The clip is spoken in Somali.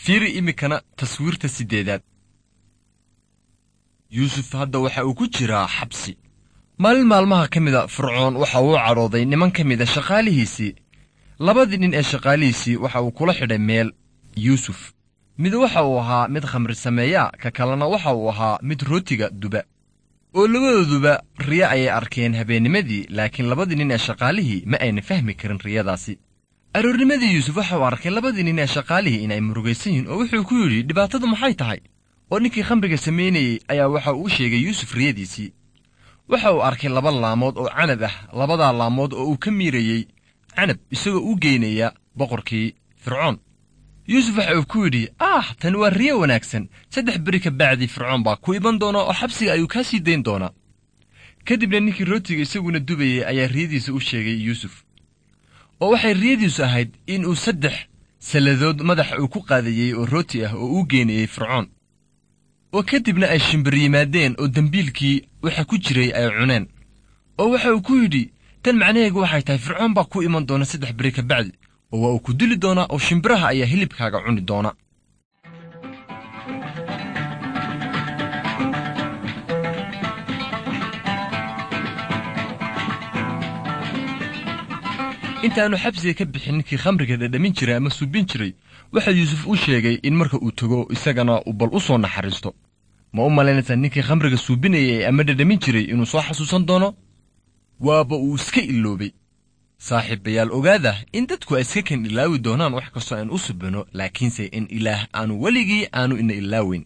Fiiri iminkana taswiirta 8aad. Yuusuf hadda waxa uu ku jiraa xabsi. Maalin maalmaha ka mida Fircoon waxa uu cadhooday niman ka mida shaqaalihiisii. Labadii nin ee shaqaalihiisii waxa uu kula xidhay meel Yuusuf. Mid waxa uu ahaa mid khamri sameeya, ka kalena waxa uu ahaa mid rootiga duba. Oo labadooduba riyo ayay arkeen habeennimadii, laakiin labadii nin ee shaqaalihii ma ayna fahmi karin riyadaasi. Aroornimadii Yuusuf waxa uu arkay labadii nin ee shaqaalihii in ay murugaysan yihiin, oo wuxuu ku yidhi, "Dhibaatadu maxay tahay?" Oo ninkii khamriga samaynayey ayaa waxa uu sheegay Yuusuf riyadiisii. Waxa uu arkay laba laamood oo canab ah, labadaa laamood oo uu ka miirayey canab isagoo u geynaya boqorkii Fircoon. Yuusuf waxa uu ku yidhi, "Ah, tani waa riyo wanaagsan. 3 beri ka bacdii Fircoon baa ku iman doona oo xabsiga ayuu kaa sii dayn doonaa." Kadibna ninkii rootiga isaguna dubayey ayaa riyadiisa u sheegay Yuusuf. Oo waxay riyadiisu ahayd in uu 3 salladood madaxa uu ku qaadayey oo rooti ah oo uu geynayey Fircoon. Oo kadibna ay shimbir yimaadeen oo dembiilkii waxa ku jiray ay cuneen. Oo waxa uu ku yidhi, "Tan macnaheegu waxay tahay Fircoon baa ku iman doona 3 beri ka bacdi, oo waa uu ku dili doonaa oo shimbiraha ayaa hilibkaaga cuni doona." Intaannu xabsiga ka bixin ninkii khamriga dhadhamin jiray ama suubin jiray, waxa Yuusuf u sheegay in marka uu tago isagana uu bal u soo naxariisto. Ma u malaynaysaa ninkii khamriga suubinayay ama dhadhamin jiray inuu soo xasuusan doono? Waaba uu iska iloobay. Saaxiibayaal, ogaada in dadku ay iska kan ilaawi doonaan wax kastoo aan u subino, laakiinse in Ilaah aanu weligii aanu ina ilaaweyn.